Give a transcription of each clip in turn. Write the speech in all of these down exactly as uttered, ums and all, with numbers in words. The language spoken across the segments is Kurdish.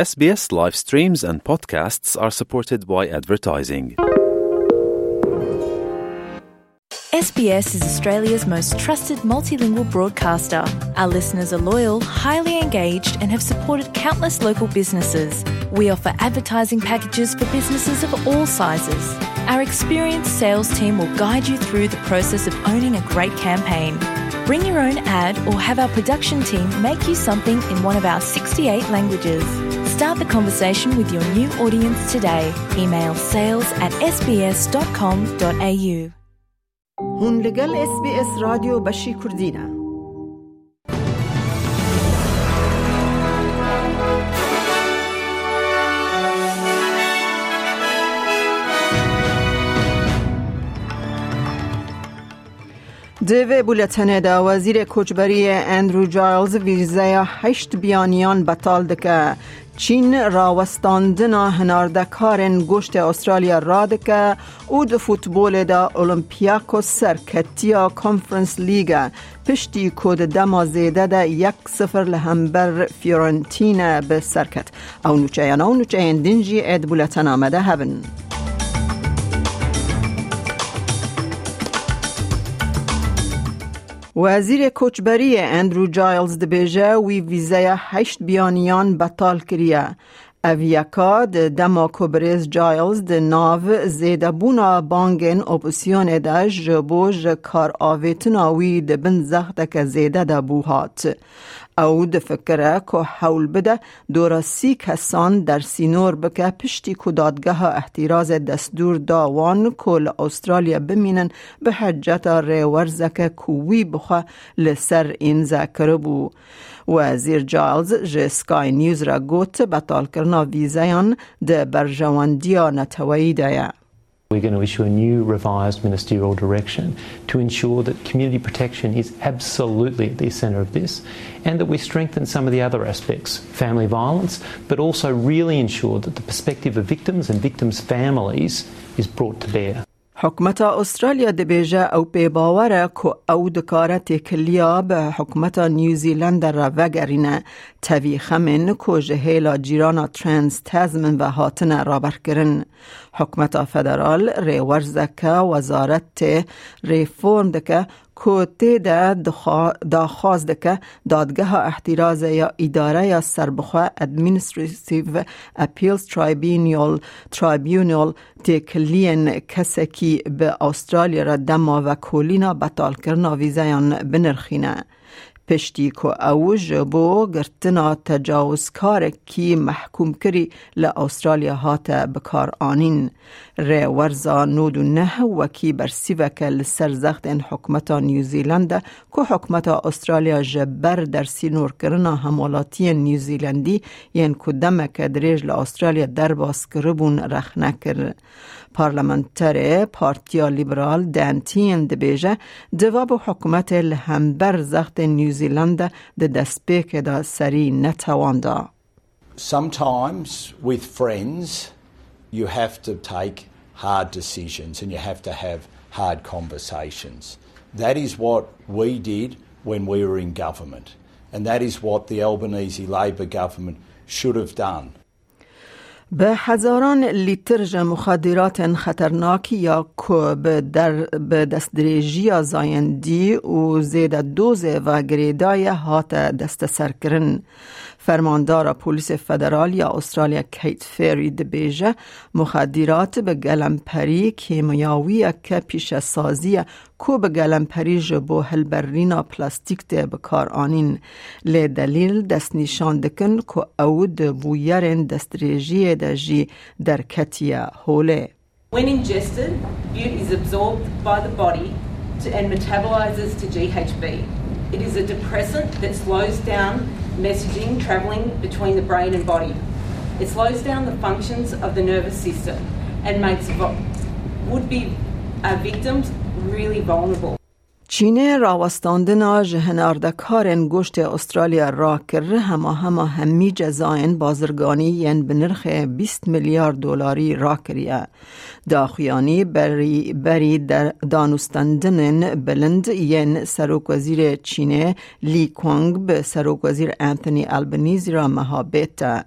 S B S live streams and podcasts are supported by advertising. S B S is Australia's most trusted multilingual broadcaster. Our listeners are loyal, highly engaged, and have supported countless local businesses. We offer advertising packages for businesses of all sizes. Our experienced sales team will guide you through the process of owning a great campaign. Bring your own ad or have our production team make you something in one of our sixty-eight languages. Start the conversation with your new audience today. Email sales at S B S dot com dot A U. Hûn li gel S B S Radyo Beşî Kurdî ne. Di vê buletenê de Wezîrê Koçberiyê Andrew Giles vîzeya heşt biyaniyan betal dike. Çîn rawestandina hinardekarên goştê Australya radike û di futbolê de Olympiakos serketiya Conference League piştî ku di dema zêde de yek sifir li hember Fiorentina bi ser ket. Ew nûçeyana û nûçeyên din jî ê di buletena me de hebin. Wezîrê Koçberiyê Andrew Giles dibêje, wî vîzeya heşt biyaniyan betal kiriye. Ev yeka di dema ku birêz Giles di nav zêdebûna bangên opozîsyonê de ji bo ji kar avêtina wî di bin zexteke zêde de bû hat. Ew difikire ku hewl bide dora sî kesan dersînor bike piştî ku dadgeha îhtîrazê destûr da wan ku li Australya bimînin bi heceta rêwerzeke ku wî bi xwe li ser îmze kiribû. Wezîr Giles ji Sky News re got, betalkirina vîzeyan di berjewendiya neteweyî de ye. We're going to issue a new revised ministerial direction to ensure that community protection is absolutely at the centre of this and that we strengthen some of the other aspects, family violence, but also really ensure that the perspective of victims and victims' families is brought to bear. Hikûmeta Australya dibêje ew pê bawer e ku ew dikare têkiliya bi hikûmeta New Zealand re vegerîne, tevî xemên ku ji hêla cîrana Trans Tasman ve hatine raberkirin. Hikûmeta federal rêwerzeke wezaretê reform dike ku tê de dixwa-, daxwaz dike dadgeha îhtîrazê ya îdareya serbixwe Administrative Appeals Tribunal, Tribunal têkiliyên kesekî bi Australya re dema vekolîna betalkirina vîzeyan binirxîne. Piştî ku ew ji bo girtina tecawizkarekî mehkûmkirî li Australya hate bikaranîn. Rêwerza nod û neh wekî bersîveke li ser zextên hikûmeta New Zealand e ku hikûmeta Australya ji ber dersînorkirina hemwelatiyên New Zealandî yên ku demeke dirêj li Australya derbas kiribûn rexne kir. Parlamenterê Partiya Liberal Dan Tehan dibêje, diva bû hikûmetê li hember zextên New Zealand de di destpêkê de serî netewanda. Sometimes with friends, you have to take hard decisions and you have to have hard conversations. That is what we did when we were in government, and that is what the Albanese Labor government should have done. Bi hezaran lîtir ji muxadiratên xeternak ya ku bi der-, bi destdirêjiya zayendî û zêde dozê ve girêdaye hate desteserkirin. Fermandara Polîsê Federal ya Australya Kate Ferry dibêje, muxadirat bi gelemperî kîmyawiyeke pîşesazî ye ku bi gelemperî ji bo hilberîna plastîk tê bikaranîn. Lê delîl destnîşan dikin ku ew di bûyerên destdirêjiyê de jî derketiye holê. When ingested, bute is absorbed by the body to, and metabolizes to G H B. It is a depressant that slows down messaging travelling between the brain and body. It slows down the functions of the nervous system and makes vo-, would-be, uh, victims really vulnerable. Çînê rawestandina ji hinardekarên goştê Australya rakir, hema hema hemî cezayên bazirganî yên bi nirxê bîst milyar dolarî rakiriye. Daxuyanî berî, berî der-, danûstendinên bilind yên Serokwezîrê Çînê Li Qiang bi Serokwezîr Anthony Albanese re meha bête.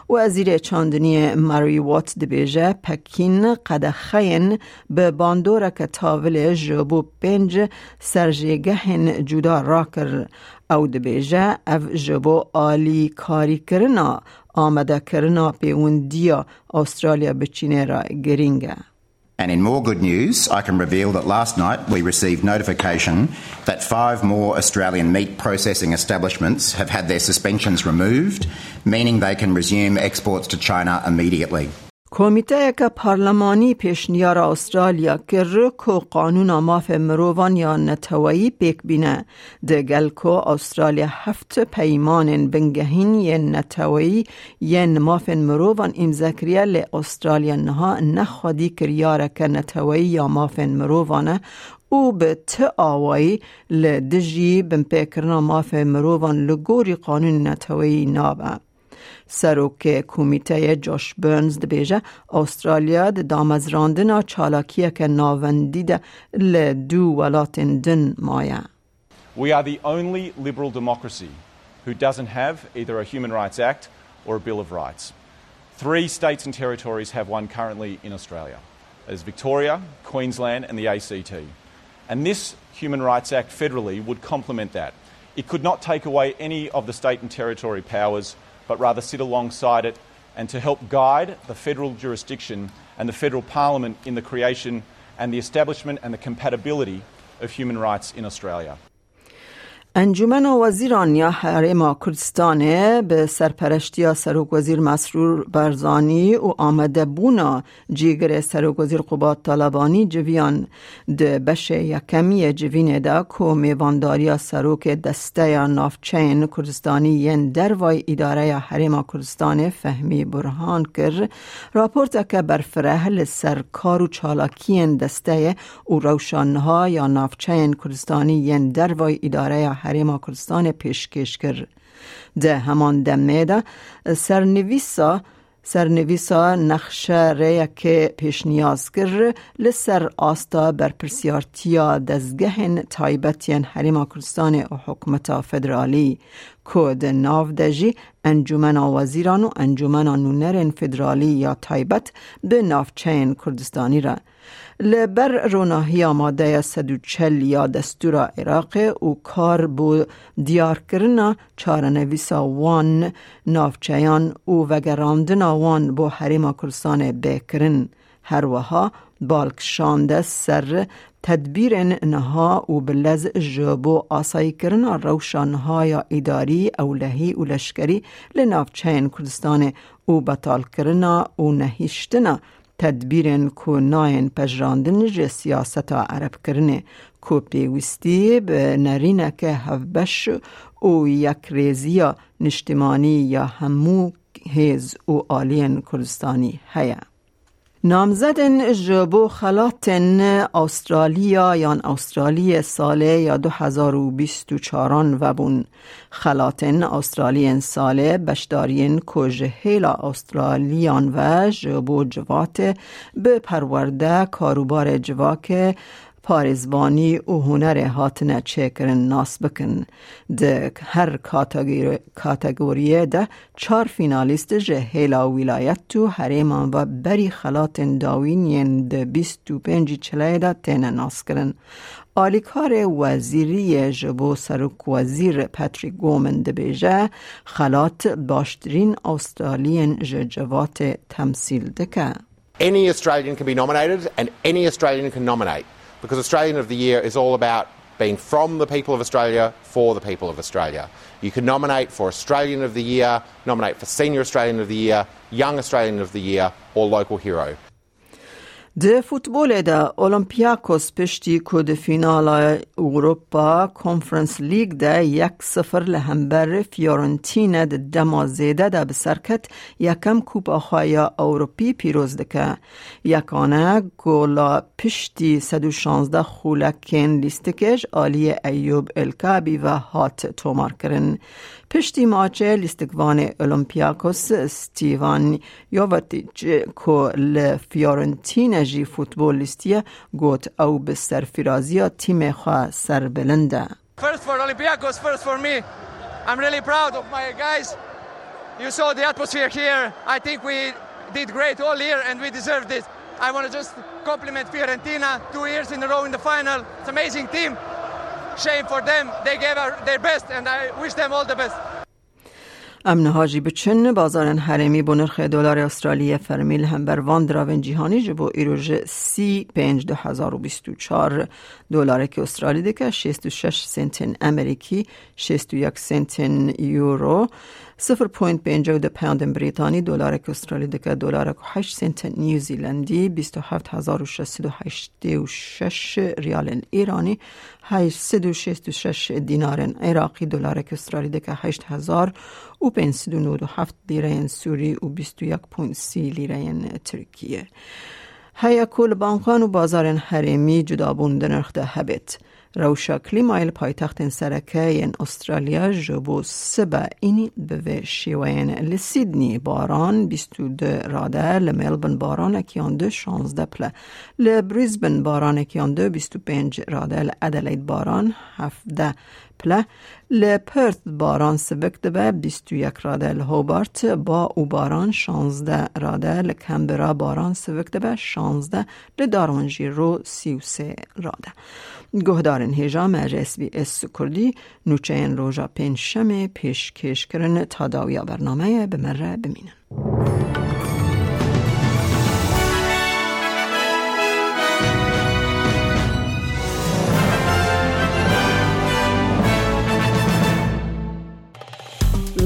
Wezîrê Çandiniyê Mary Watt dibêje, Pekîn qedexeyên bi bandoreke tavilê ji bo pênc serjêgehên cuda rakir. Ew dibêje, ev ji bo alîkarîkirina amadekirina pêwendiya Australya bi Çînê re girîng e. And in more good news, I can reveal that last night we received notification that five more Australian meat processing establishments have had their suspensions removed, meaning they can resume exports to China immediately. Komîteyeke parlemanî pêşniyara Australya kir ku qanûna mafê mirovan ya neteweyî pêk bîne. Di gel ku Australya heft peymanên bingehîn yên neteweyî yên mafên mirovan îmze kiriye, lê Australya niha ne xwedî kiryareke neteweyî ya mafên mirovan e û bi ti awayî li dijî binpêkirina mafê mirovan li gorî qanûnê neteweyî nabe. Serokê komîteyê Josh Burns dibêje, Australya di damezrandina çalakiyeke navendî de li du welatên din maye. We are the only liberal democracy who doesn't have either a Human Rights Act or a Bill of Rights. Three states and territories have one currently in Australia. There's Victoria, Queensland, and the A C T. And this Human Rights Act federally would complement that. It could not take away any of the state and territory powers, but rather sit alongside it and to help guide the federal jurisdiction and the federal parliament in the creation and the establishment and the compatibility of human rights in Australia. Encûmena Wezîran ya Herêma Kurdistanê bi serpereştiya Serokwezîr Mesrûr Barzanî û amadebûna cîgirê Serokwezîr Qubat Talebanî civiyan. Di beşê yekem yê civînê de ku mêvandariya serokê Desteya Navçeyên Kurdistanî yên Dervayî Îdareya Herêma Kurdistanê Fehmî Burhan kir, raporteke berfireh li ser kar û çalakiyên desteyê û rewşa niha ya navçeyên Kurdistanî yên dervayî Îdareya Herêma Kurdistanê pêşkêş kir. Di heman demê de sernivîsa, sernivîsa nexşe rêyekê pêşniyaz kir li ser asta berpirsiyartiya dezgehên taybet yên Herêma Kurdistanê û Hikûmeta Federalî, ku di nav de jî Encûmena Wezîran û Encûmena Nûnerên Federalî ya taybet bi navçeyên Kurdistanî re. Li ber ronahiya madeya sed û çel ya Destûra Iraqê û kar bo diyarkirina çarenivîsa wan navçeyan û vegerandina wan bo Herêma Kurdistanê bê kirin. Her wiha bal kişande ser tedbîrên niha û bi lez ji bo asayîkirina rewşa niha ya îdarî, ewlehî û leşkerî li navçeyên Kurdistanê û betalkirina û nehiştina tedbîrên ku nayên pejirandin ji siyaseta erebkirinê, ku pêwîstî bi nerîneke hevbeş û yekrêziya niştimanî ya hemû hêz û aliyên Kurdistanî heye. Namzedên ji bo xelatên Awstraliya yan Awstraliyê salê ya du hezar û bîst û çaran vebûn. Xelatên Awstraliyên salê beşdariyên ku ji hêla Awstraliyan ve ji bo civatê bi perwerde, karûbarê civakê, parêzvanî û hunerê hatine çêkirin nas bikin. Di her kategori-, kategoriyê de çar fînalîst ji hêla wîlayet û herêman ve berî xelatên dawîn yên di bîst û pêncî çileyê de têne naskirin. Alîkarê wezîriyê ji bo serokwezîr Patrick Gorman dibêje, xelat baştirîn Awstraliyên ji civatê temsîl dike. Any Australian can be nominated and any Australian can nominate, because Australian of the Year is all about being from the people of Australia, for the people of Australia. You can nominate for Australian of the Year, nominate for Senior Australian of the Year, Young Australian of the Year, or Local Hero. Di futbolê de Olympiakos piştî ku di fînala Europa Conference League de yek sifir li hember Fiorentina di dema zêde de bi ser ket, yekem Kupa xwe ya Ewropî pîroz dike. Yekane gola piştî sed û şazdeh xulekên lîstikê ji aliyê Eyûb Elkabî ve hat tomarkirin. Piştî maçê lîstikvanê Olympiakos Stivan Jovetic ku li Fiorentina jî futbol lîstiye, got ew bi serfiraziya tîmê xwe serbilind e. First for Olympiacos, first for me. I'm really proud of my guys. You saw the atmosphere here. I think we did great all year and we deserve this. I want to just compliment Fiorentina, two years in a row in the final. It's an amazing team. Shame for them. They gave our, their best and I wish them all the best. Em niha jî biçin bazarên herêmî bo nirxê dolarê Astraliyê fermî li hember van diravên cîhanî ji bo îro ji sî pênc du hezar û bîst û çar dolarekî Astralî dike şêst û şeş sentên Amerîkî, şêst û yek sentên Euro, sifir point pêncî du poundên Brîtanî, dolarekî Astralî dike dolarek û heşt sentên New Zealandî, bîst û heft hezar û şeş sed û heştê û şeş riyalên Îranî, heşt sed û şêst û şeş dînarên Iraqî, dolarek Astralî dike heşt hezar û pênc sed û nod û heft lîreyên Sûrî û bîst û yek point sî lîreyên Tirkiyê. Heye ku li bankan û bazarên herêmî cudabûn di nirx de hebêt. Rewşa klîmayê li paytextên sereke yên Astralya ji bo sibe înî bi vê şêweyên: li Sydney baran bîst û du rade, li Melbourne baranekî yan du şazdeh pile, li Brisbane baranekî yan du bîst û pênc rade, li Adelaide baran hevdeh pile, li Perth baran sivik dibe bîst û yek rade, li Hobart ba û baran şazdeh rade, li Canberra baran sivik dibe şazdeh, li Darwin jî ro sî û sê rade. Guhdarên hêja me ji S B S Kurdî nûçeyên roja pêncşemê pêşkêş kirin. Ta dawiya bernameyê bi me re bimînin.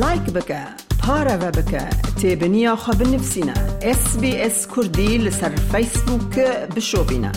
Like bike, pareve bike, têbiniya xwe binivîsîne. S B S Kurdî li ser Facebook bişopîne.